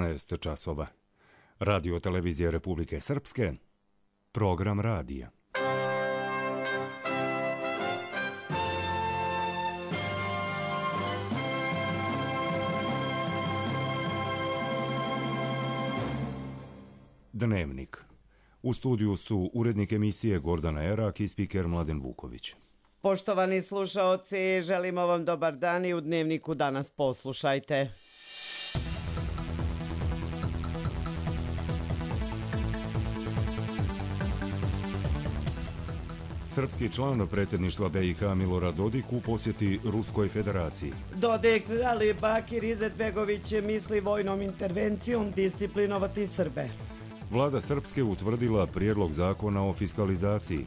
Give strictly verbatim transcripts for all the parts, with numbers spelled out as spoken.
šesnaest časova. Radio televizije Republike Srpske, program radija. Dnevnik. U studiju su urednik emisije Gordana Erak i spiker Mladen Vuković. Poštovani slušaoci, želimo vam dobar dan i u Dnevniku danas poslušajte. Srpski član predsjedništva B i H Milorad Dodik u posjeti Ruskoj federaciji. Dodik, ali Bakir Izetbegović misli vojnom intervencijom disciplinovati Srbe. Vlada Srpske utvrdila prijedlog zakona o fiskalizaciji.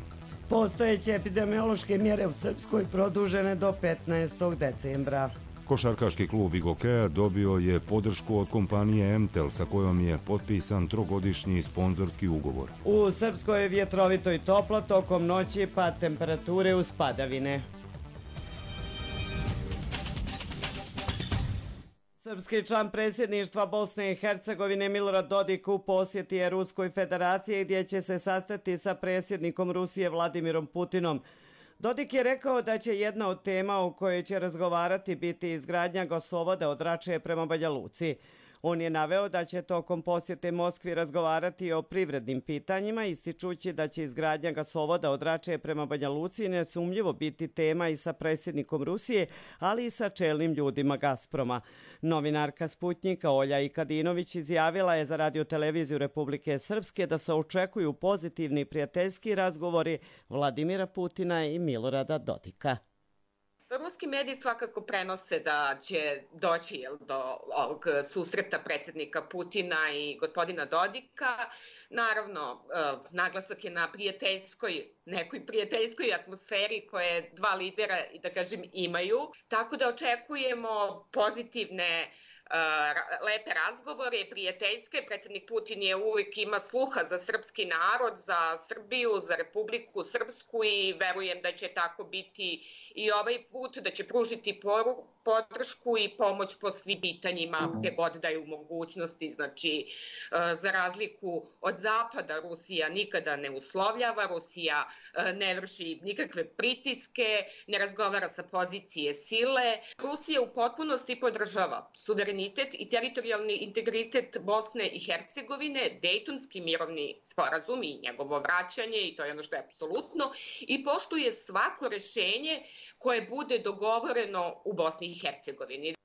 Postojeće epidemiološke mjere u Srpskoj produžene do petnaestog decembra. Košarkaški klub Igokea dobio je podršku od kompanije Emtel sa kojom je potpisan trogodišnji sponzorski ugovor. U Srpskoj je vjetrovito i toplo tokom noći, pa temperature uz padavine. Srpski član predsjedništva Bosne i Hercegovine Milorad Dodik u posjeti je Ruskoj federaciji gdje će se sastati sa predsjednikom Rusije Vladimirom Putinom. Dodik je rekao da će jedna od tema o kojoj će razgovarati biti izgradnja gasovoda od Rače prema Banja Luci. On je naveo da će tokom posjete Moskvi razgovarati o privrednim pitanjima, ističući da će izgradnja gasovoda od Rače prema Banja Luci nesumnjivo biti tema i sa predsjednikom Rusije, ali i sa čelnim ljudima Gazproma. Novinarka Sputnjika Olja Ikadinović izjavila je za radioteleviziju Republike Srpske da se očekuju pozitivni prijateljski razgovori Vladimira Putina i Milorada Dodika. Ruski mediji svakako prenose da će doći jel, do ovog susreta predsjednika Putina i gospodina Dodika. Naravno, naglasak je na prijateljskoj, nekoj prijateljskoj atmosferi koje dva lidera, da kažem, imaju. Tako da očekujemo pozitivne Uh, lepe razgovore, prijateljske. Predsjednik Putin je uvijek ima sluha za srpski narod, za Srbiju, za Republiku Srpsku i verujem da će tako biti i ovaj put, da će pružiti poru, podršku i pomoć po svim pitanjima gdje god daju mogućnosti. Znači, uh, za razliku od Zapada, Rusija nikada ne uslovljava, Rusija uh, ne vrši nikakve pritiske, ne razgovara sa pozicije sile. Rusija u potpunosti podržava suverenitet i teritorijalni integritet Bosne i Hercegovine, Dejtonski mirovni sporazum i njegovo vraćanje, i to je ono što je apsolutno, i poštuje svako rješenje koje bude dogovoreno u Bosni i Hercegovini.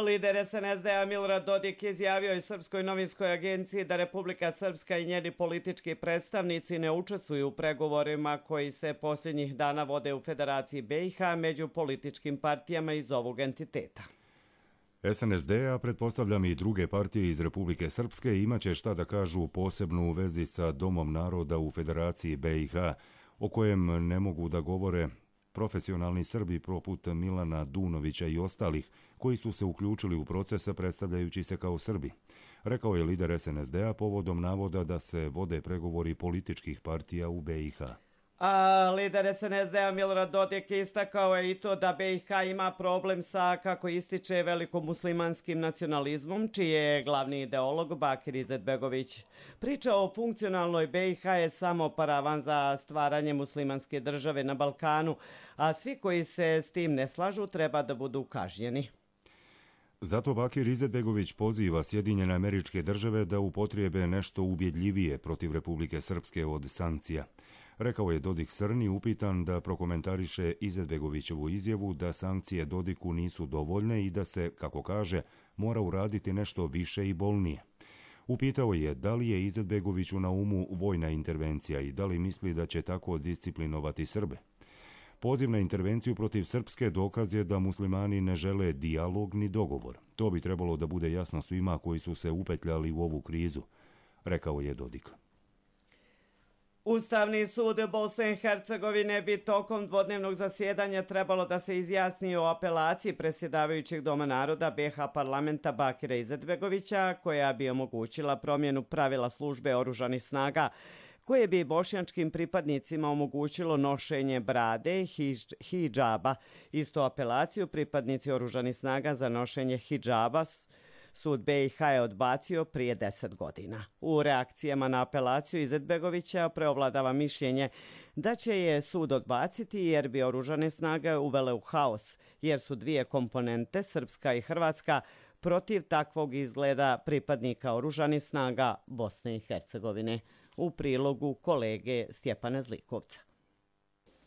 Lider S N S D-a Milorad Dodik izjavio je Srpskoj novinskoj agenciji da Republika Srpska i njeni politički predstavnici ne učestvuju u pregovorima koji se posljednjih dana vode u Federaciji B i H među političkim partijama iz ovog entiteta. S N S D, a pretpostavljam i druge partije iz Republike Srpske, imaće šta da kažu posebno u vezi sa Domom naroda u Federaciji B i H, o kojem ne mogu da govore profesionalni Srbi poput Milana Dunovića i ostalih, koji su se uključili u procese predstavljajući se kao Srbi. Rekao je lider S N S D-a povodom navoda da se vode pregovori političkih partija u B i H. A lider S N S D-a Milorad Dodik istakao je i to da B i H ima problem sa, kako ističe, velikomuslimanskim nacionalizmom, čiji je glavni ideolog Bakir Izetbegović. Priča o funkcionalnoj B i H je samo paravan za stvaranje muslimanske države na Balkanu, a svi koji se s tim ne slažu treba da budu kažnjeni. Zato Bakir Izetbegović poziva Sjedinjene Američke Države da upotrijebe nešto ubjedljivije protiv Republike Srpske od sankcija. Rekao je Dodik Srni upitan da prokomentariše Izetbegovićevu izjavu da sankcije Dodiku nisu dovoljne i da se, kako kaže, mora uraditi nešto više i bolnije. Upitao je da li je Izetbegoviću na umu vojna intervencija i da li misli da će tako disciplinovati Srbe. Poziv na intervenciju protiv Srpske dokaz je da muslimani ne žele dijalog ni dogovor. To bi trebalo da bude jasno svima koji su se upetljali u ovu krizu, rekao je Dodik. Ustavni sud Bosne i Hercegovine bi tokom dvodnevnog zasjedanja trebalo da se izjasni o apelaciji predsjedavajućeg Doma naroda B i H parlamenta Bakira Izetbegovića, koja bi omogućila promjenu pravila službe oružanih snaga, koje bi bošnjačkim pripadnicima omogućilo nošenje brade i hidžaba. Isto apelaciju pripadnici oružanih snaga za nošenje hidžaba Sud be i ha je odbacio prije deset godina. U reakcijama na apelaciju Izetbegovića preovladava mišljenje da će je sud odbaciti jer bi oružane snage uvele u haos, jer su dvije komponente, srpska i hrvatska, protiv takvog izgleda pripadnika oružanih snaga Bosne i Hercegovine. U prilogu kolege Stjepana Zlikovca.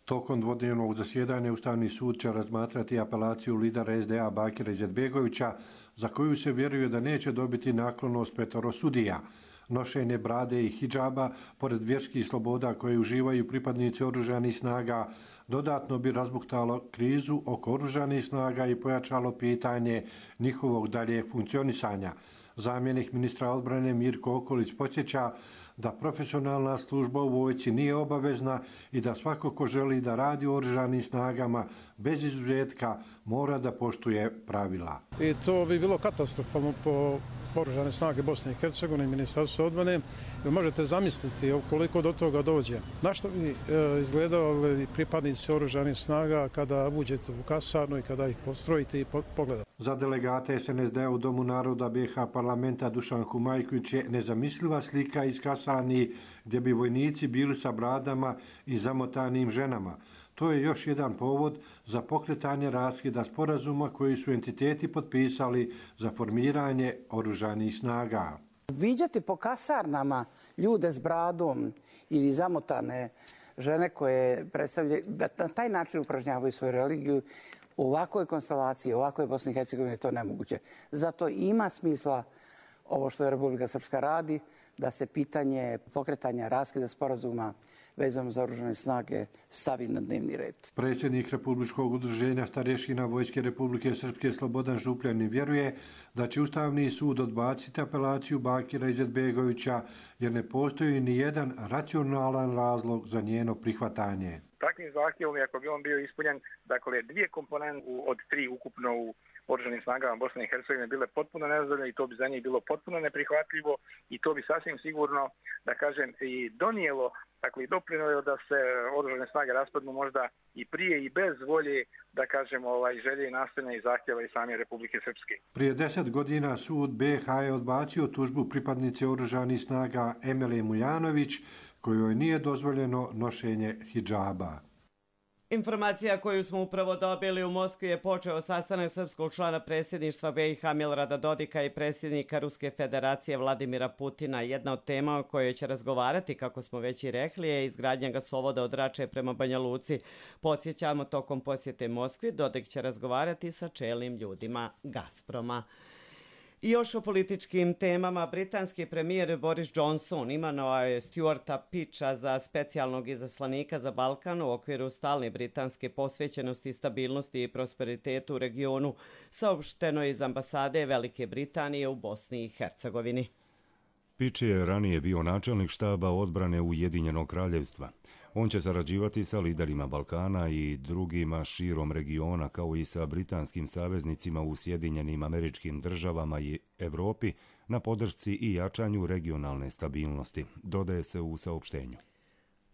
Tokom dvodnevnog zasjedanja Ustavni sud će razmatrati apelaciju lidera es de a Bakira Izetbegovića, za koju se vjeruje da neće dobiti naklonost petoro sudija. Nošenje brade i hidžaba, pored vjerskih sloboda koje uživaju pripadnici oružanih snaga, dodatno bi razbuktalo krizu oko oružanih snaga i pojačalo pitanje njihovog daljeg funkcionisanja. Zamjenik ministra odbrane Mirko Okolić podsjeća da profesionalna služba u vojsci nije obavezna i da svako ko želi da radi u oružanim snagama bez izuzetka mora da poštuje pravila. I to bi bilo katastrofalno po oružane snage Bosne i Hercegovine i Ministarstvo odbrane. Možete zamisliti koliko do toga dođe. Na što bi izgledali pripadnici oružanih snaga kada uđete u kasarnu i kada ih postrojite i pogledate? Za delegate es en es de a u Domu naroda be ha parlamenta Dušanku Majković je nezamisliva slika iz kasarni gdje bi vojnici bili sa bradama i zamotanim ženama. To je još jedan povod za pokretanje raskida sporazuma koji su entiteti potpisali za formiranje oružanih snaga. Viđati po kasarnama ljude s bradom ili zamotane žene koje predstavljaju, da na taj način upražnjavaju svoju religiju, u ovakvoj konstelaciji, u ovakvoj Bosni i Hercegovini je to nemoguće. Zato ima smisla ovo što je Republika Srpska radi, da se pitanje pokretanja raskida sporazuma vezano za oružane snage stavi na dnevni red. Predsjednik Republičkog udruženja starješina Vojske Republike Srpske Slobodan Župljanin vjeruje da će Ustavni sud odbaciti apelaciju Bakira Izetbegovića jer ne postoji ni jedan racionalan razlog za njeno prihvatanje. Takvim zahtjevom, ako bi on bio ispunjen, dakle dvije komponente od tri ukupno u oružanim snagama Bosne i Hercegovine bile potpuno nezadovoljne i to bi za njih bilo potpuno neprihvatljivo i to bi sasvim sigurno, da kažem, i donijelo, dakle i doprinijelo da se oružane snage raspadnu možda i prije i bez volje, da kažem, ovaj, želje i nastojanja i zahtjeva i same Republike Srpske. Prije deset godina sud be ha je odbacio tužbu pripadnice oružanih snaga Emile Mujanović, kojoj nije dozvoljeno nošenje hidžaba. Informacija koju smo upravo dobili u Moskvi je počeo sastanak srpskog člana predsjedništva be i ha Milorada Dodika i predsjednika Ruske federacije Vladimira Putina. Jedna od tema o kojoj će razgovarati, kako smo već i rekli, je izgradnja gasovoda od Rače prema Banja Luci. Podsjećamo, tokom posjete Moskvi Dodik će razgovarati sa čelnim ljudima Gazproma. I još o političkim temama. Britanski premijer Boris Johnson imenovao je Stuarta Pitcha za specijalnog izaslanika za Balkan u okviru stalne britanske posvećenosti, stabilnosti i prosperitetu u regionu, saopšteno iz ambasade Velike Britanije u Bosni i Hercegovini. Pitch je ranije bio načelnik štaba odbrane Ujedinjenog kraljevstva. On će sarađivati sa liderima Balkana i drugima širom regiona, kao i sa britanskim saveznicima u Sjedinjenim Američkim Državama i Evropi na podršci i jačanju regionalne stabilnosti, dodaje se u saopštenju.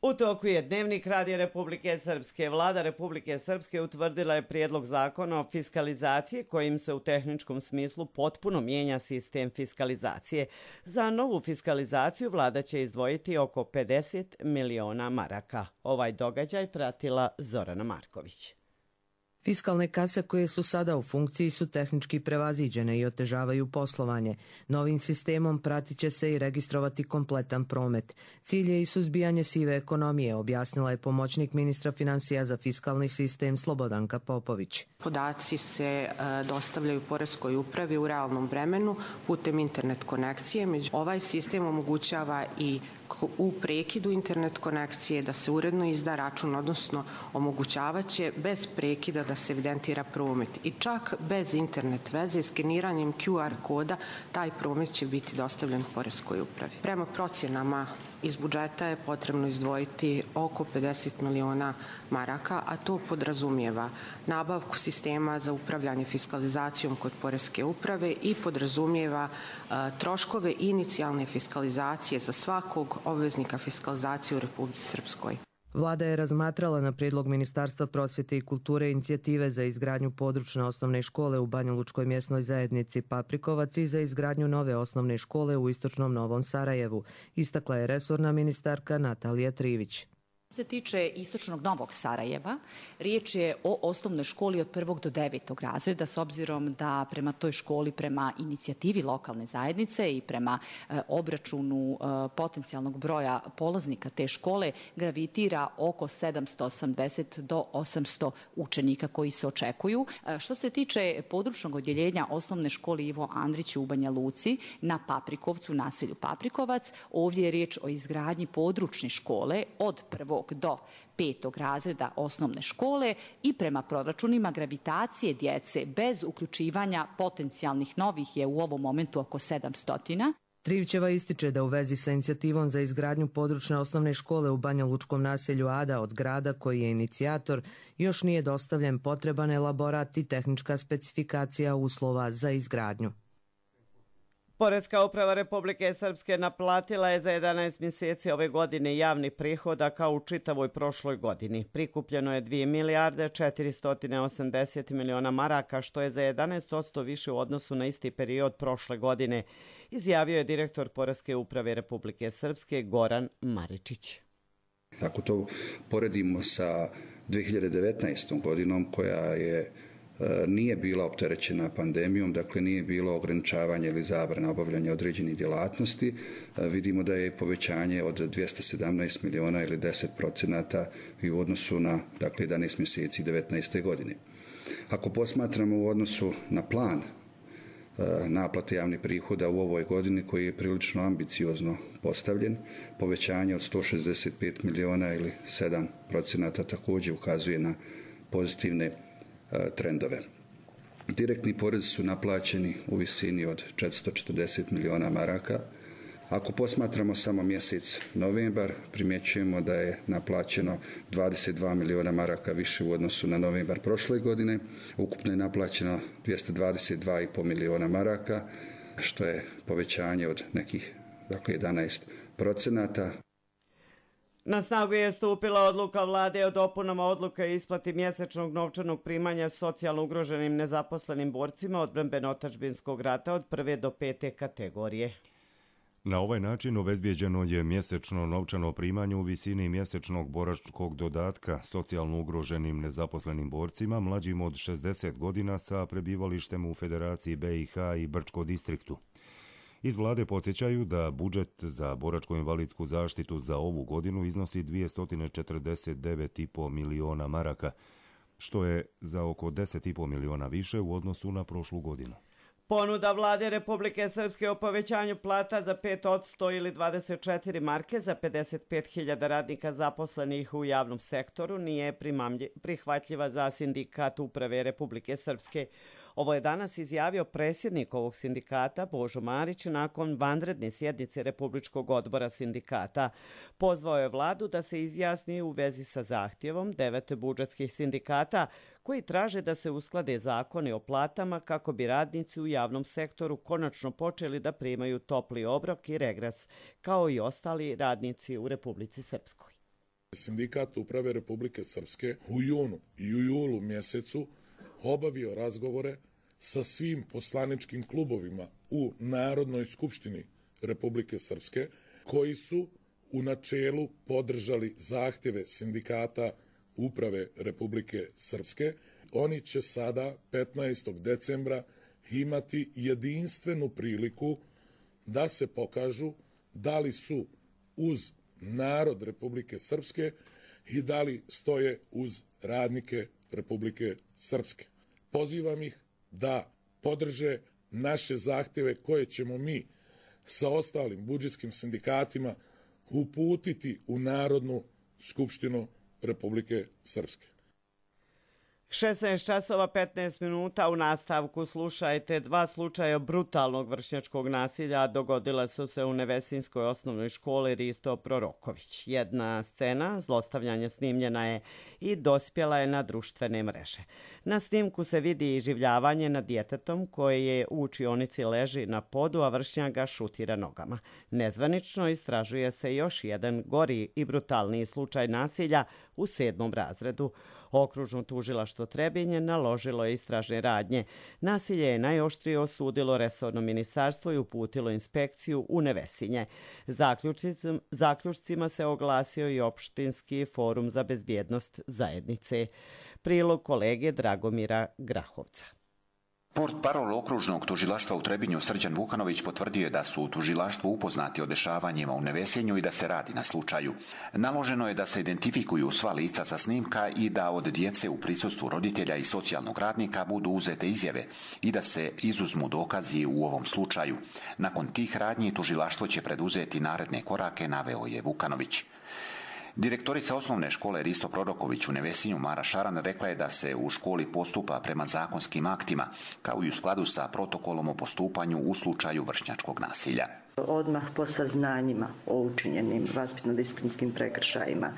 U toku je Dnevnik Radija Republike Srpske. Vlada Republike Srpske utvrdila je prijedlog zakona o fiskalizaciji kojim se u tehničkom smislu potpuno mijenja sistem fiskalizacije. Za novu fiskalizaciju vlada će izdvojiti oko pedeset miliona maraka. Ovaj događaj pratila Zorana Marković. Fiskalne kase koje su sada u funkciji su tehnički prevaziđene i otežavaju poslovanje. Novim sistemom pratit će se i registrovati kompletan promet. Cilj je i suzbijanje sive ekonomije, objasnila je pomoćnik ministra financija za fiskalni sistem Slobodanka Popović. Podaci se dostavljaju poreskoj upravi u realnom vremenu putem internet konekcije. Ovaj sistem omogućava i u prekidu internet konekcije da se uredno izda račun, odnosno omogućavaće bez prekida da se evidentira promet. I čak bez internet veze, skeniranjem Q R koda, taj promet će biti dostavljen poreskoj upravi. Prema procjenama iz budžeta je potrebno izdvojiti oko pedeset miliona maraka, a to podrazumijeva nabavku sistema za upravljanje fiskalizacijom kod poreske uprave i podrazumijeva a, troškove inicijalne fiskalizacije za svakog obveznika fiskalizacije u Republici Srpskoj. Vlada je razmatrala na prijedlog Ministarstva prosvjete i kulture inicijative za izgradnju područne osnovne škole u Banjalučkoj mjesnoj zajednici Paprikovac i za izgradnju nove osnovne škole u istočnom Novom Sarajevu, istakla je resorna ministarka Natalija Trivić. Što se tiče istočnog Novog Sarajeva, riječ je o osnovnoj školi od prvog do devetog razreda, s obzirom da prema toj školi, prema inicijativi lokalne zajednice i prema e, obračunu e, potencijalnog broja polaznika te škole gravitira oko sedamsto osamdeset do osamsto učenika koji se očekuju. E, što se tiče područnog odjeljenja osnovne škole Ivo Andrić u Banja Luci na Paprikovcu, naselju Paprikovac, ovdje je riječ o izgradnji područne škole od prvog do petog razreda osnovne škole i prema proračunima gravitacije djece bez uključivanja potencijalnih novih je u ovom momentu oko sedamsto. Trivićeva ističe da u vezi sa inicijativom za izgradnju područne osnovne škole u Banjalučkom naselju Ada od grada koji je inicijator još nije dostavljen potreban elaborat i tehnička specifikacija uslova za izgradnju. Poreska uprava Republike Srpske naplatila je za jedanaest mjeseci ove godine javnih prihoda kao u čitavoj prošloj godini. Prikupljeno je dvije milijarde četiristo osamdeset miliona maraka, što je za jedanaest posto više u odnosu na isti period prošle godine, izjavio je direktor Poreske uprave Republike Srpske Goran Maričić. Ako to poredimo sa dvije hiljade devetnaestom godinom koja je nije bila opterećena pandemijom, dakle nije bilo ograničavanja ili zabrana obavljanja određenih djelatnosti, vidimo da je povećanje od dvjesto sedamnaest miliona ili deset procenata i u odnosu na dakle, jedanaest mjeseci devetnaeste godine. Ako posmatramo u odnosu na plan naplate javnih prihoda u ovoj godini koji je prilično ambiciozno postavljen, povećanje od sto šezdeset pet miliona ili sedam procenata također ukazuje na pozitivne trendove. Direktni porezi su naplaćeni u visini od četiristo četrdeset miliona maraka. Ako posmatramo samo mjesec novembar, primjećujemo da je naplaćeno dvadeset dva miliona maraka više u odnosu na novembar prošle godine. Ukupno je naplaćeno dvjesto dvadeset dva i pol miliona maraka, što je povećanje od nekih dakle, jedanaest procenata. Na snagu je stupila odluka vlade o dopunama odluke o isplati mjesečnog novčanog primanja socijalno ugroženim nezaposlenim borcima odbrambeno-otadžbinskog rata od prve do pete kategorije. Na ovaj način obezbijeđeno je mjesečno novčano primanje u visini mjesečnog boračkog dodatka socijalno ugroženim nezaposlenim borcima mlađim od šezdeset godina sa prebivalištem u Federaciji B i H i Brčko distriktu. Iz vlade podsjećaju da budžet za boračko-invalidsku zaštitu za ovu godinu iznosi dvjesto četrdeset devet i pol miliona maraka, što je za oko deset i pol miliona više u odnosu na prošlu godinu. Ponuda vlade Republike Srpske o povećanju plata za pet posto ili dvadeset četiri marke za pedeset pet hiljada radnika zaposlenih u javnom sektoru nije prihvatljiva za sindikat uprave Republike Srpske. Ovo je danas izjavio predsjednik ovog sindikata Božo Marić nakon vanredne sjednice Republičkog odbora sindikata. Pozvao je vladu da se izjasni u vezi sa zahtjevom devet budžetskih sindikata koji traže da se usklade zakoni o platama kako bi radnici u javnom sektoru konačno počeli da primaju topli obrok i regres, kao i ostali radnici u Republici Srpskoj. Sindikat uprave Republike Srpske u junu i u julu mjesecu obavio razgovore sa svim poslaničkim klubovima u Narodnoj skupštini Republike Srpske, koji su u načelu podržali zahtjeve sindikata uprave Republike Srpske. Oni će sada, petnaestog decembra, imati jedinstvenu priliku da se pokažu da li su uz narod Republike Srpske i da li stoje uz radnike Republike Srpske. Pozivam ih da podrže naše zahtjeve koje ćemo mi sa ostalim budžetskim sindikatima uputiti u Narodnu skupštinu Republike Srpske. šesnaest časova petnaest minuta. U nastavku slušajte dva slučaja brutalnog vršnjačkog nasilja dogodila su se u Nevesinskoj osnovnoj školi Risto Proroković. Jedna scena zlostavljanja snimljena je i dospjela je na društvene mreže. Na snimku se vidi iživljavanje nad djetetom koje je u učionici leži na podu, a vršnjak ga šutira nogama. Nezvanično istražuje se još jedan gori i brutalniji slučaj nasilja u sedmom razredu. Okružno tužilaštvo Trebinje naložilo je istražne radnje. Nasilje je najoštrije osudilo resorno ministarstvo i uputilo inspekciju u Nevesinje. Zaključcima, zaključcima se oglasio i opštinski forum za bezbjednost zajednice. Prilog kolege Dragomira Grahovca. Portparol okružnog tužilaštva u Trebinju Srđan Vukanović potvrdio je da su u tužilaštvu upoznati o dešavanjima u Nevesinju i da se radi na slučaju. Naloženo je da se identifikuju sva lica sa snimka i da od djece u prisustvu roditelja i socijalnog radnika budu uzete izjave i da se izuzmu dokazi u ovom slučaju. Nakon tih radnji tužilaštvo će preduzeti naredne korake, naveo je Vukanović. Direktorica osnovne škole Risto Proroković u Nevesinju Mara Šaran rekla je da se u školi postupa prema zakonskim aktima, kao i u skladu sa protokolom o postupanju u slučaju vršnjačkog nasilja. Odmah po saznanjima o učinjenim vaspitno-disciplinskim prekršajima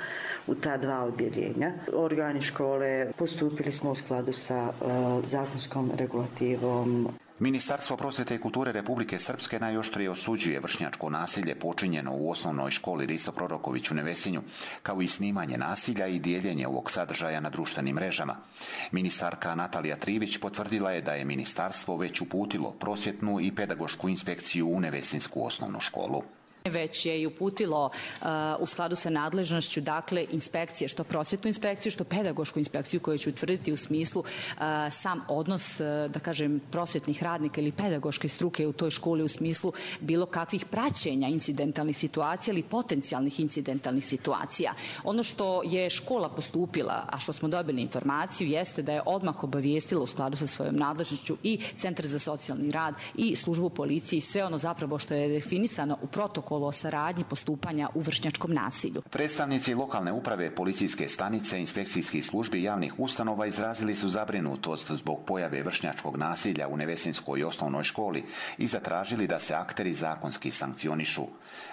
u ta dva odjeljenja, organi škole postupili smo u skladu sa uh, zakonskom regulativom. Ministarstvo prosvjete i kulture Republike Srpske najoštrije osuđuje vršnjačko nasilje počinjeno u osnovnoj školi Risto Proroković u Nevesinju, kao i snimanje nasilja i dijeljenje ovog sadržaja na društvenim mrežama. Ministarka Natalija Trivić potvrdila je da je ministarstvo već uputilo prosvjetnu i pedagošku inspekciju u Nevesinsku osnovnu školu. Već je i uputilo uh, u skladu sa nadležnošću, dakle, inspekcije, što prosvjetnu inspekciju, što pedagošku inspekciju koju će utvrditi u smislu uh, sam odnos, uh, da kažem, prosvjetnih radnika ili pedagoške struke u toj školi u smislu bilo kakvih praćenja incidentalnih situacija ili potencijalnih incidentalnih situacija. Ono što je škola postupila, a što smo dobili informaciju, jeste da je odmah obavijestila u skladu sa svojom nadležnošću i Centar za socijalni rad i službu policije i sve ono zapravo što je definisano u protokolu o saradnji postupanja u vršnjačkom nasilju. Predstavnici lokalne uprave, policijske stanice, inspekcijskih službi i javnih ustanova izrazili su zabrinutost zbog pojave vršnjačkog nasilja u Nevesinskoj osnovnoj školi i zatražili da se akteri zakonski sankcionišu.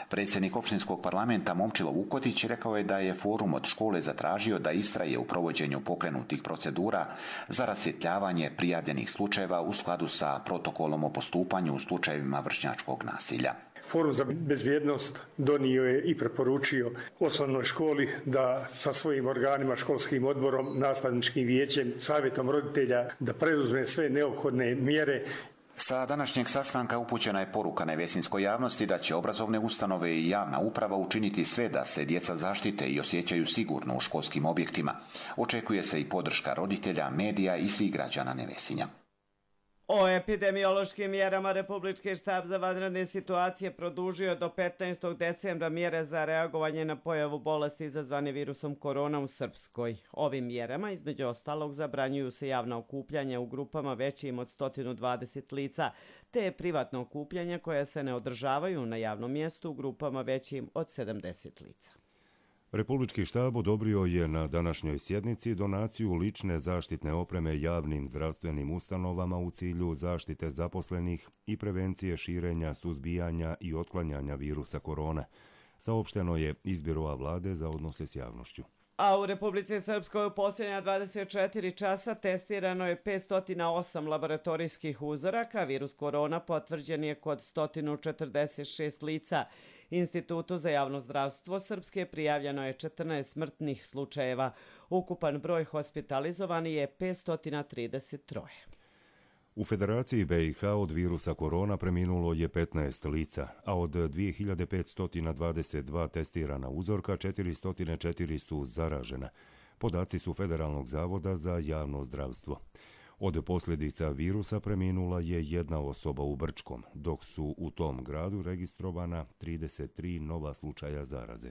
Predsjednik opštinskog parlamenta Momčilo Vukotić rekao je da je forum od škole zatražio da istraje u provođenju pokrenutih procedura za rasvjetljavanje prijavljenih slučajeva u skladu sa protokolom o postupanju u slučajevima vršnjačkog nasilja. Forum za bezbjednost donio je i preporučio osnovnoj školi da sa svojim organima, školskim odborom, nastavničkim vijećem, savjetom roditelja da preduzme sve neophodne mjere. Sa današnjeg sastanka upućena je poruka nevesinskoj javnosti da će obrazovne ustanove i javna uprava učiniti sve da se djeca zaštite i osjećaju sigurno u školskim objektima. Očekuje se i podrška roditelja, medija i svih građana Nevesinja. O epidemiološkim mjerama Republički štab za vanredne situacije produžio do petnaestog decembra mjere za reagovanje na pojavu bolesti izazvane virusom korona u Srpskoj. Ovim mjerama, između ostalog, zabranjuju se javna okupljanja u grupama većim od sto dvadeset lica, te privatna okupljanja koja se ne održavaju na javnom mjestu u grupama većim od sedamdeset lica. Republički štab odobrio je na današnjoj sjednici donaciju lične zaštitne opreme javnim zdravstvenim ustanovama u cilju zaštite zaposlenih i prevencije širenja, suzbijanja i otklanjanja virusa korone. Saopšteno je iz Biroa vlade za odnose s javnošću. A u Republici Srpskoj u posljednja dvadeset četiri časa testirano je petsto osam laboratorijskih uzoraka. Virus korona potvrđen je kod sto četrdeset šest lica. Institutu za javno zdravstvo Srpske prijavljeno je četrnaest smrtnih slučajeva. Ukupan broj hospitalizovani je petsto trideset tri. U Federaciji B i H od virusa korona preminulo je petnaest lica, a od dvije hiljade petsto dvadeset dva testirana uzorka četiristo četiri su zaražena. Podaci su Federalnog zavoda za javno zdravstvo. Od posljedica virusa preminula je jedna osoba u Brčkom, dok su u tom gradu registrovana trideset tri nova slučaja zaraze.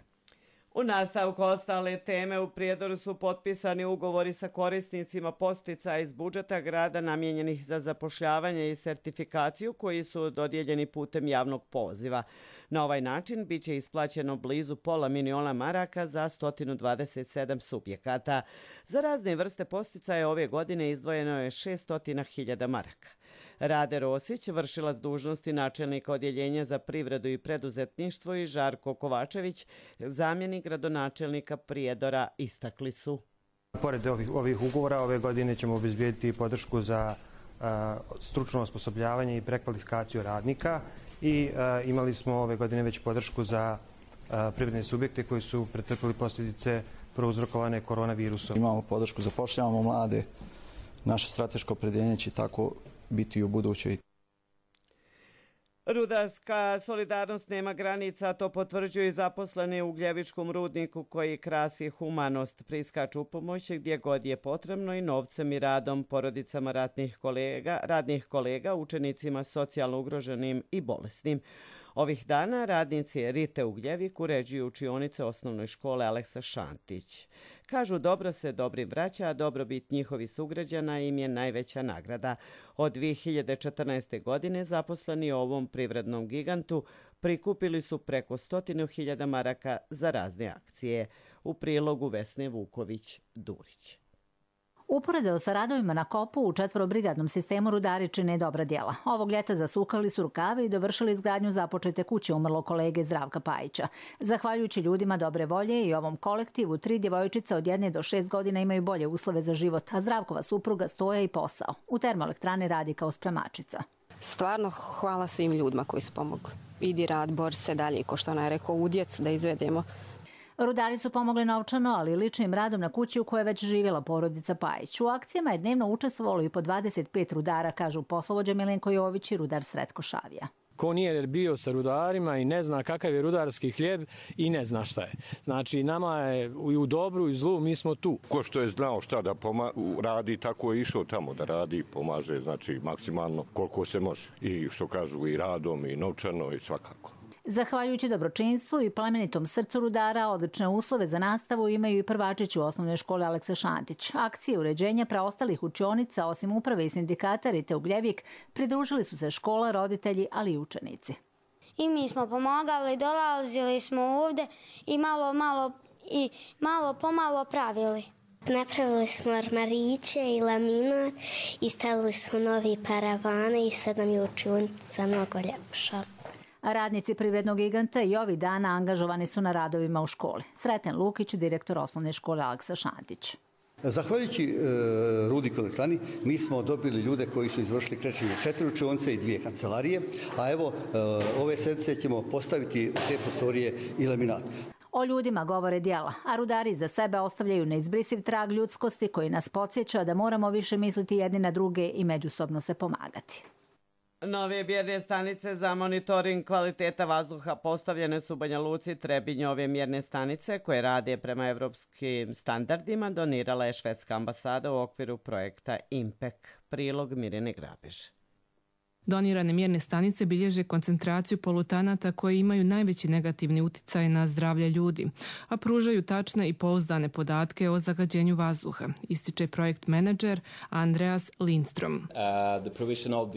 U nastavku ostale teme u Prijedoru su potpisani ugovori sa korisnicima posticaja iz budžeta grada namijenjenih za zapošljavanje i sertifikaciju koji su dodijeljeni putem javnog poziva. Na ovaj način biće isplaćeno blizu pola miliona maraka za sto dvadeset sedam subjekata. Za razne vrste posticaja ove godine izdvojeno je šesto hiljada maraka. Rade Rosić, vršilac dužnosti načelnika odjeljenja za privredu i preduzetništvo, i Žarko Kovačević, zamjenik gradonačelnika Prijedora, istakli su. Pored ovih, ovih ugovora, ove godine ćemo obezbijediti podršku za uh, stručno osposobljavanje i prekvalifikaciju radnika i uh, imali smo ove godine već podršku za uh, privredne subjekte koji su pretrpili posljedice prouzrokovane koronavirusom. Imamo podršku, zapošljavamo mlade, naše strateško opredjeljenje će tako biti u budućoj. Rudarska solidarnost nema granica, to potvrđuju i zaposleni u Ugljevičkom rudniku koji krasi humanost. Priskaču u pomoć gdje god je potrebno i novcem i radom porodicama ratnih kolega, radnih kolega, učenicima socijalno ugroženim i bolesnim. Ovih dana radnici Rite Ugljevik uređuju učionice osnovnoj škole Aleksa Šantić. Kažu, dobro se dobrim vraća, a dobrobit njihovih sugrađana im je najveća nagrada. Od dvije hiljade četrnaeste. godine zaposleni u ovom privrednom gigantu prikupili su preko stotinu hiljada maraka za razne akcije. U prilogu Vesne Vuković-Durić. Uporedo sa radovima na kopu u četvorobrigadnom sistemu rudari čine dobra djela. Ovog ljeta zasukali su rukave i dovršili izgradnju započete kuće umrlog kolege Zdravka Pajića. Zahvaljujući ljudima dobre volje i ovom kolektivu, tri djevojčice od jedne do šest godina imaju bolje uslove za život, a Zdravkova supruga stoja i posao. U termoelektrani radi kao spremačica. Stvarno hvala svim ljudima koji su pomogli. Idi rad, bor se dalje, ko što ona je rekao, u djecu da izvedemo. Rudari su pomogli novčano, ali i ličnim radom na kući u kojoj je već živjela porodica Pajić. U akcijama je dnevno učestvovalo i po dvadeset pet rudara, kažu poslovođa Milenko Jović i rudar Sretko Šavija. Ko nije bio sa rudarima i ne zna kakav je rudarski hljeb i ne zna šta je. Znači, nama je i u dobru i zlu, mi smo tu. Ko što je znao šta da poma- radi, tako je išao tamo da radi, pomaže, znači, maksimalno koliko se može. I što kažu, i radom, i novčano, i svakako. Zahvaljujući dobročinstvu i plemenitom srcu rudara, odlične uslove za nastavu imaju i prvačići u osnovnoj školi Aleksa Šantić. Akcije uređenja preostalih učionica, osim uprave i sindikata Rite Ugljevik, pridružili su se škola, roditelji, ali i učenici. I mi smo pomagali, dolazili smo ovdje i malo, malo, i malo pomalo pravili. Napravili smo armariće i laminat i stavili smo novi paravane i sad nam je učionica mnogo ljepša. Radnici privrednog giganta i ovih dana angažovani su na radovima u školi. Sreten Lukić, direktor osnovne škole Aleksa Šantić. Zahvaljujući e, rudniku elektrani, mi smo dobili ljude koji su izvršili krečenje četiri učionice i dvije kancelarije, a evo e, ove sedmice ćemo postaviti u te prostorije i laminat. O ljudima govore djela, a rudari za sebe ostavljaju neizbrisiv trag ljudskosti koji nas podsjeća da moramo više misliti jedni na druge i međusobno se pomagati. Nove mjerne stanice za monitoring kvaliteta vazduha postavljene su u Banja Luci. Trebinje. Ove mjerne stanice koje rade prema evropskim standardima donirala je švedska ambasada u okviru projekta Impek. Prilog Mirjane Grabež. Donirane mjerne stanice bilježe koncentraciju polutanata koji imaju najveći negativni uticaj na zdravlje ljudi, a pružaju tačne i pouzdane podatke o zagađenju vazduha, ističe projekt menadžer Andreas Lindstrom.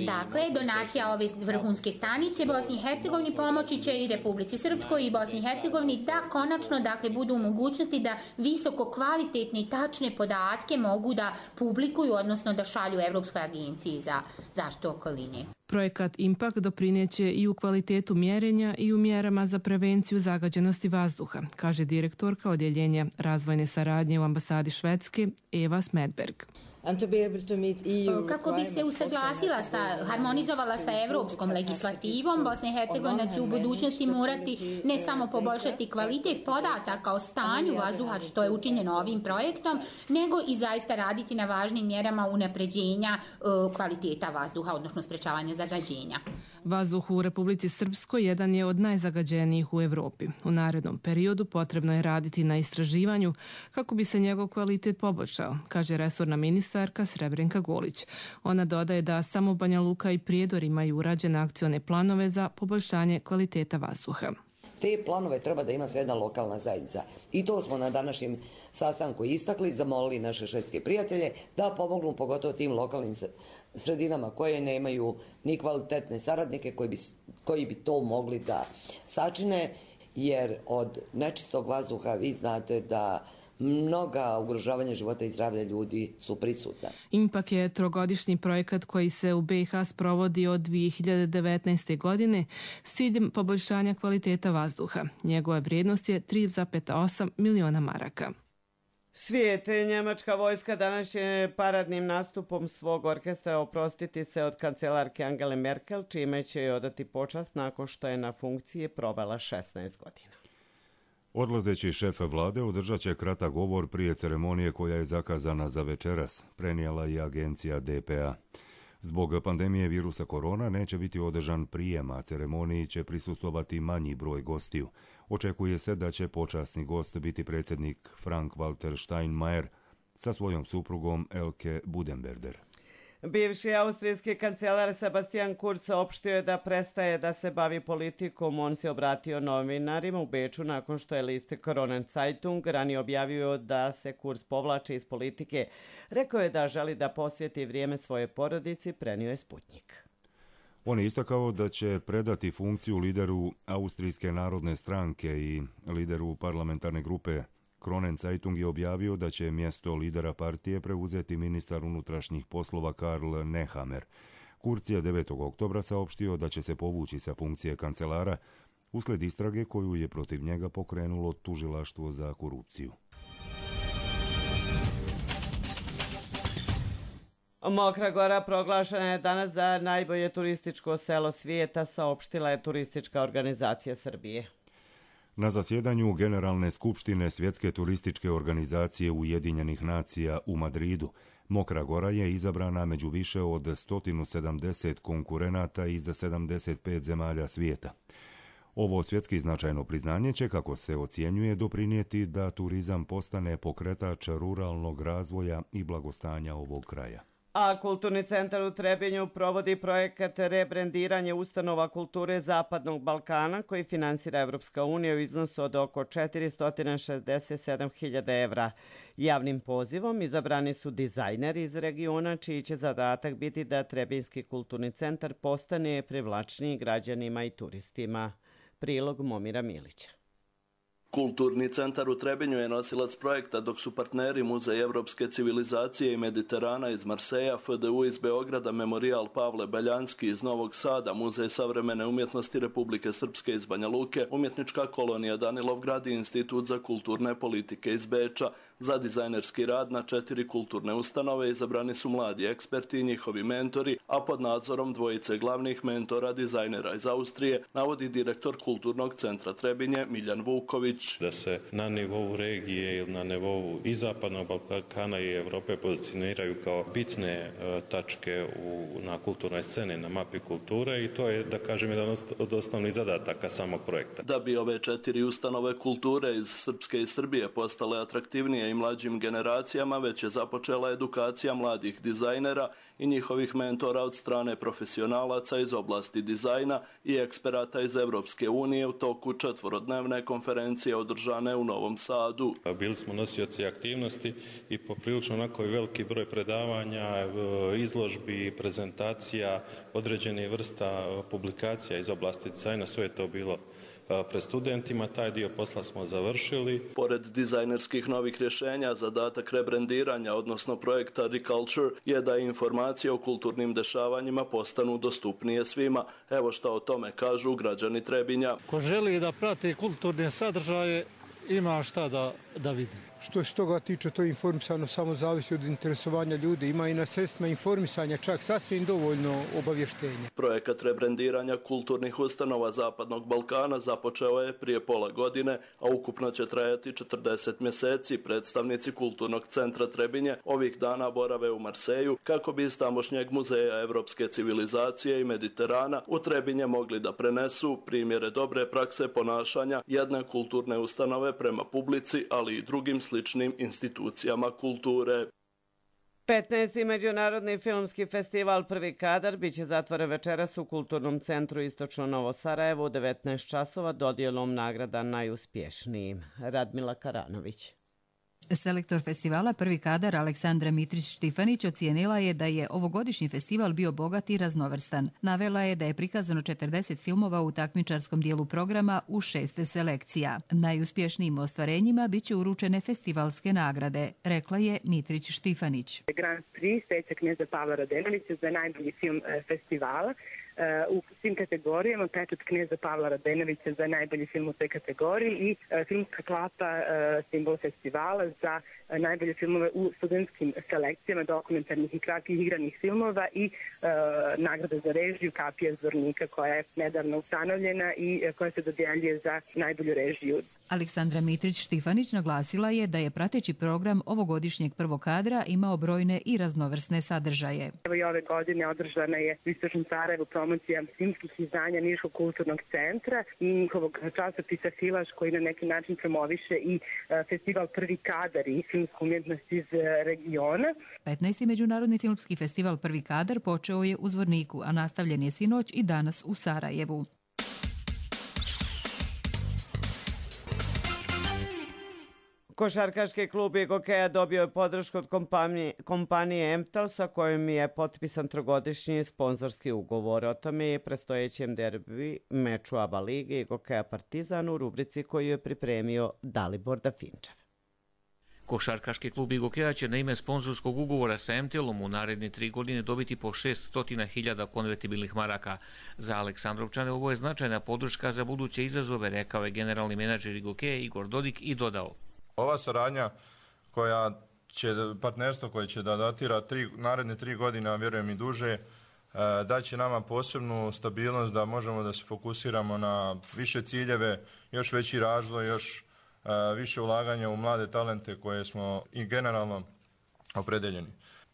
Dakle, donacija ove vrhunske stanice Bosni i Hercegovini pomoći će i Republici Srpskoj i Bosni i Hercegovini da konačno dakle, budu u mogućnosti da visoko kvalitetne i tačne podatke mogu da publikuju, odnosno da šalju Evropskoj agenciji za zaštitu okoline. Projekat Impact doprineće i u kvalitetu mjerenja i u mjerama za prevenciju zagađenosti vazduha, kaže direktorka odjeljenja razvojne saradnje u ambasadi Švedske Eva Smedberg. Kako bi se usaglasila sa, harmonizovala sa evropskom legislativom, Bosna i Hercegovina će u budućnosti morati ne samo poboljšati kvalitet podataka o stanju vazduha, što je učinjeno ovim projektom, nego i zaista raditi na važnim mjerama unapređenja kvaliteta vazduha, odnosno sprečavanja zagađenja. Vazduh u Republici Srpskoj jedan je od najzagađenijih u Evropi. U narednom periodu potrebno je raditi na istraživanju kako bi se njegov kvalitet poboljšao, kaže resorna ministarka Srebrenka Golić. Ona dodaje da samo Banja Luka i Prijedor imaju urađene akcione planove za poboljšanje kvaliteta vazduha. Te planove treba da ima sve jedna lokalna zajednica. I to smo na današnjem sastanku istakli, zamolili naše švedske prijatelje da pomognu pogotovo tim lokalnim sredinama koje nemaju ni kvalitetne saradnike koji bi, koji bi to mogli da sačine, jer od nečistog vazduha vi znate da mnoga ugrožavanja života i zdravlja ljudi su prisutna. Impak je trogodišnji projekat koji se u B i H sprovodi od dvije hiljade devetnaeste. godine s ciljem poboljšanja kvaliteta vazduha. Njegova vrijednost je tri zarez osam miliona maraka. Svijet, njemačka vojska danas je paradnim nastupom svog orkestra oprostiti se od kancelarke Angele Merkel, čime će joj odati počast nakon što je na funkciji provela šesnaest godina. Odlazeći šef vlade održat će kratak govor prije ceremonije koja je zakazana za večeras, prenijela je agencija D P A. Zbog pandemije virusa korona neće biti održan prijem, a ceremoniji će prisustvovati manji broj gostiju. Očekuje se da će počasni gost biti predsjednik Frank-Walter Steinmeier sa svojom suprugom Elke Budenberder. Bivši austrijski kancelar Sebastian Kurz saopštio je da prestaje da se bavi politikom. On se obratio novinarima u Beču nakon što je list Kronen Zeitung ranije objavio da se Kurz povlači iz politike. Rekao je da želi da posvjeti vrijeme svoje porodici, prenio je Sputnik. On je istakao da će predati funkciju lideru Austrijske narodne stranke i lideru parlamentarne grupe. Kronen Zeitung je objavio da će mjesto lidera partije preuzeti ministar unutrašnjih poslova Karl Nehammer. Kurz je devetog oktobra saopštio da će se povući sa funkcije kancelara usled istrage koju je protiv njega pokrenulo tužilaštvo za korupciju. Mokra Gora proglašena je danas za najbolje turističko selo svijeta, saopštila je Turistička organizacija Srbije. Na zasjedanju Generalne skupštine Svjetske turističke organizacije Ujedinjenih nacija u Madridu, Mokra Gora je izabrana među više od sto sedamdeset konkurenata iz sedamdeset pet zemalja svijeta. Ovo svjetski značajno priznanje će, kako se ocjenjuje, doprinijeti da turizam postane pokretač ruralnog razvoja i blagostanja ovog kraja. A Kulturni centar u Trebinju provodi projekat rebrendiranje ustanova kulture Zapadnog Balkana koji finansira Evropska unija u iznosu od oko četiristo šezdeset sedam hiljada evra. Javnim pozivom izabrani su dizajneri iz regiona čiji će zadatak biti da Trebinjski kulturni centar postane privlačniji građanima i turistima. Prilog Momira Milića. Kulturni centar u Trebinju je nosilac projekta, dok su partneri Muzej evropske civilizacije i Mediterana iz Marseja, F D U iz Beograda, Memorijal Pavle Beljanski iz Novog Sada, Muzej savremene umjetnosti Republike Srpske iz Banja Luke, Umjetnička kolonija Danilovgrad i Institut za kulturne politike iz Beča. Za dizajnerski rad na četiri kulturne ustanove izabrani su mladi eksperti i njihovi mentori, a pod nadzorom dvojice glavnih mentora dizajnera iz Austrije, navodi direktor Kulturnog centra Trebinje Miljan Vuković. Da se na nivou regije ili na nivou i Zapadnog Balkana i Evrope pozicioniraju kao bitne tačke u, na kulturnoj sceni, na mapi kulture, i to je, da kažem, jedan od osnovnih zadataka samog projekta. Da bi ove četiri ustanove kulture iz Srpske i Srbije postale atraktivnije i mlađim generacijama, već je započela edukacija mladih dizajnera i njihovih mentora od strane profesionalaca iz oblasti dizajna i eksperata iz Evropske unije u toku četvorodnevne konferencije održane u Novom Sadu. Bili smo nosioci aktivnosti i poprilično onako veliki broj predavanja, izložbi, prezentacija, određenih vrsta publikacija iz oblasti dizajna, sve je to bilo pred studentima. Taj dio posla smo završili. Pored dizajnerskih novih rješenja, zadatak rebrendiranja, odnosno projekta Reculture, je da informacije o kulturnim dešavanjima postanu dostupnije svima. Evo šta o tome kažu građani Trebinja. Ko želi da prati kulturne sadržaje, ima šta da, da vidi. Što se toga tiče, to je informisano, samo zavisi od interesovanja ljudi. Ima i na sredstvima informisanja čak sasvim dovoljno obavještenja. Projekat rebrendiranja kulturnih ustanova Zapadnog Balkana započeo je prije pola godine, a ukupno će trajati četrdeset mjeseci. Predstavnici Kulturnog centra Trebinje ovih dana borave u Marseju kako bi iz tamošnjeg Muzeja evropske civilizacije i Mediterana u Trebinje mogli da prenesu primjere dobre prakse ponašanja jedne kulturne ustanove prema publici, ali i drugim sličnim institucijama kulture. petnaesti. Međunarodni filmski festival Prvi kadar biće zatvoren večeras u Kulturnom centru Istočno Novo Sarajevo u devetnaest časova dodjelom nagrada najuspješnijim. Radmila Karanović. Selektor festivala Prvi kadar Aleksandra Mitrić-Štifanić ocijenila je da je ovogodišnji festival bio bogat i raznovrstan. Navela je da je prikazano četrdeset filmova u takmičarskom dijelu programa u šest selekcija. Najuspješnijim ostvarenjima biće uručene festivalske nagrade, rekla je Mitrić-Štifanić. Grand Prix Steća knjeza Pavla Radenovića za najbolji film festivala. U svim kategorijama pečat knjeza Pavla Radenovića za najbolji film u toj kategoriji i filmska klapa simbol festivala za najbolje filmove u studentskim selekcijama dokumentarnih i kratkih igranih filmova i nagrada za režiju Kapija Zvornika koja je nedavno ustanovljena i koja se dodjeljuje za najbolju režiju. Aleksandra Mitrić-Štifanić naglasila je da je prateći program ovogodišnjeg prvog kadra imao brojne i raznovrsne sadržaje. Evo i ove godine održana je u Istočnom Sarajevu promocija filmskih izdanja Niškog kulturnog centra i njihovog časopisa Filaš koji na neki način promoviše i festival Prvi kadar i filmsku umjetnost iz regiona. petnaesti. Međunarodni filmski festival Prvi kadar počeo je u Zvorniku, a nastavljen je sinoć i danas u Sarajevu. Košarkaški klub Igokeja dobio je podršku od kompanije, kompanije Emtel sa kojom je potpisan trogodišnji sponzorski ugovor. O tome je predstojećem derbi meču ABA lige Igokeja Partizan u rubrici koju je pripremio Dalibor Dafinčev. Košarkaški klub Igokeja će na ime sponzorskog ugovora sa Emtelom u naredne tri godine dobiti po šessto hiljada konvertibilnih maraka. Za Aleksandrovčane ovo je značajna podrška za buduće izazove, rekao je generalni menadžer Igokeja Igor Dodik i dodao. Ova saradnja koja će, partnerstvo koje će da datira tri, naredne tri godine, a vjerujem i duže, daće nama posebnu stabilnost da možemo da se fokusiramo na više ciljeve, još veći razvoj, još više ulaganja u mlade talente koje smo i generalno opredeljeni.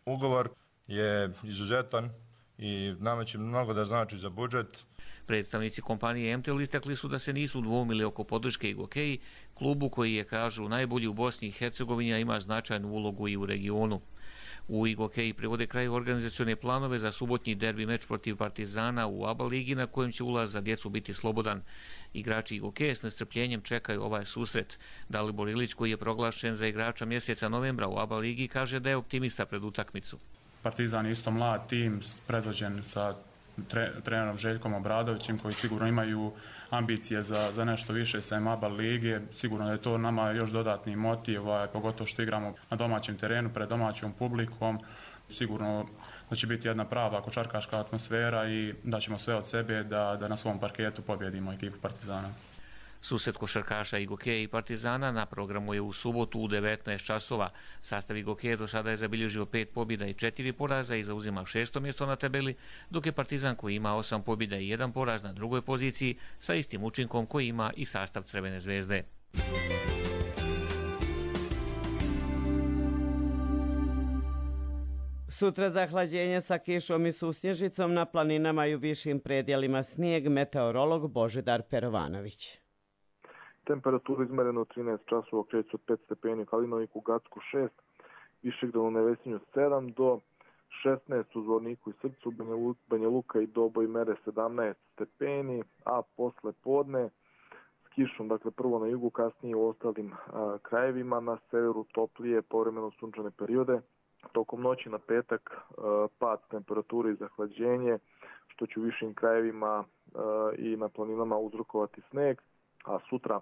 Ugovor je izuzetan i nama će mnogo da znači za budžet. Predstavnici kompanije Emtel istakli su da se nisu dvoumili oko podrške Igokeji, klubu koji je, kažu, najbolji u Bosni i Hercegovini, a ima značajnu ulogu i u regionu. U Igokeji privode kraj organizacione planove za subotnji derbi meč protiv Partizana u ABA ligi na kojem će ulaz za djecu biti slobodan. Igrači Igokeje s nestrpljenjem čekaju ovaj susret. Dalibor Ilić, koji je proglašen za igrača mjeseca novembra u ABA ligi, kaže da je optimista pred utakmicu. Partizan je isto mlad tim predvođen sa tre, trenerom Željkom Obradovićem koji sigurno imaju ambicije za, za nešto više sa ABA lige. Sigurno da je to nama još dodatni motiv, pogotovo što igramo na domaćem terenu pred domaćom publikom. Sigurno da će biti jedna prava košarkaška atmosfera i da ćemo sve od sebe da, da na svom parketu pobjedimo ekipu Partizana. Susret košarkaša Igokeje i Partizana na programu je u subotu u devetnaest časova. Sastav Igokeje do sada je zabilježio pet pobjeda i četiri poraza i zauzima šesto mjesto na tabeli, dok je Partizan koji ima osam pobjeda i jedan poraz na drugoj poziciji sa istim učinkom koji ima i sastav Crvene zvezde. Sutra zahlađenje sa kišom i susnježicom, na planinama i u višim predjelima snijeg, meteorolog Božidar Perovanović. Temperatura izmerena u trinaest časova kreće od pet stepeni u Kalinoviku, u Gacku šest, Višegdanu u Nevesinju sedam do šesnaest u Zvorniku i Srcu, Banja Luka i Doboj mere sedamnaest stepeni, a posle podne s kišom, dakle prvo na jugu, kasnije u ostalim a, krajevima, na severu toplije, povremeno sunčane periode. Tokom noći na petak a, pad temperature i zahlađenje, što će u višim krajevima a, i na planinama uzrokovati sneg, a sutra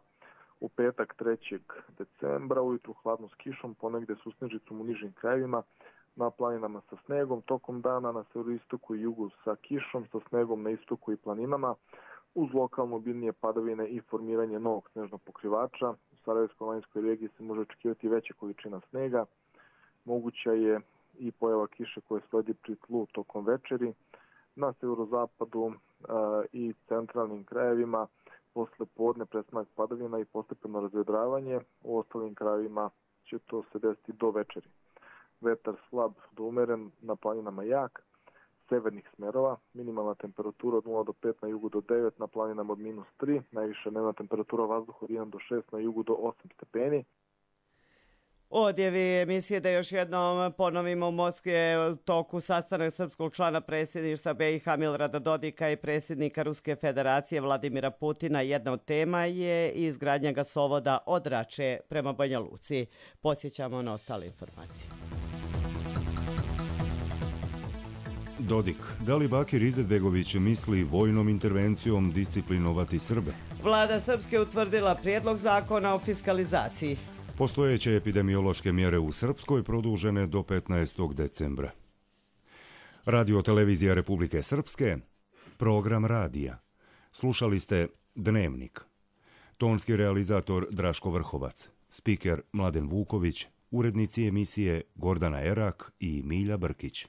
u petak trećeg decembra ujutru hladno s kišom, ponegde su snežicom u nižim krajevima, na planinama sa snegom, tokom dana na severoistoku i jugu sa kišom, sa snegom na istoku i planinama, uz lokalno obilnije padavine i formiranje novog snežnog pokrivača. U Sarajevsko-Laninskoj regiji se može očekivati veća količina snega, moguća je i pojava kiše koje sledi pri tlu tokom večeri. Na severozapadu a, i centralnim krajevima posle podne prestanak padavina i postepeno razvedravanje, u ostalim krajevima će to se desiti do večeri. Vetar slab do umeren, na planinama jak, severnih smerova, minimalna temperatura od nula do pet, na jugu do devet, na planinama od minus tri, najviša dnevna temperatura vazduha od jedan do šest, na jugu do osam stepeni. Odjevi emisije da još jednom ponovimo, u Moskvi je u toku sastanak srpskog člana predsjedništva B i H Milorada Dodika i predsjednika Ruske federacije Vladimira Putina. Jedna od tema je izgradnja gasovoda od Rače prema Banja Luci. Posjećamo na ostale informacije. Dodik, da li Bakir Izetbegović misli vojnom intervencijom disciplinovati Srbe? Vlada Srpske utvrdila prijedlog zakona o fiskalizaciji. Postojeće epidemiološke mjere u Srpskoj produžene do petnaestog decembra. Radio televizija Republike Srpske, program radija. Slušali ste Dnevnik. Tonski realizator Draško Vrhovac, spiker Mladen Vuković, urednici emisije Gordana Erak i Milja Brkić.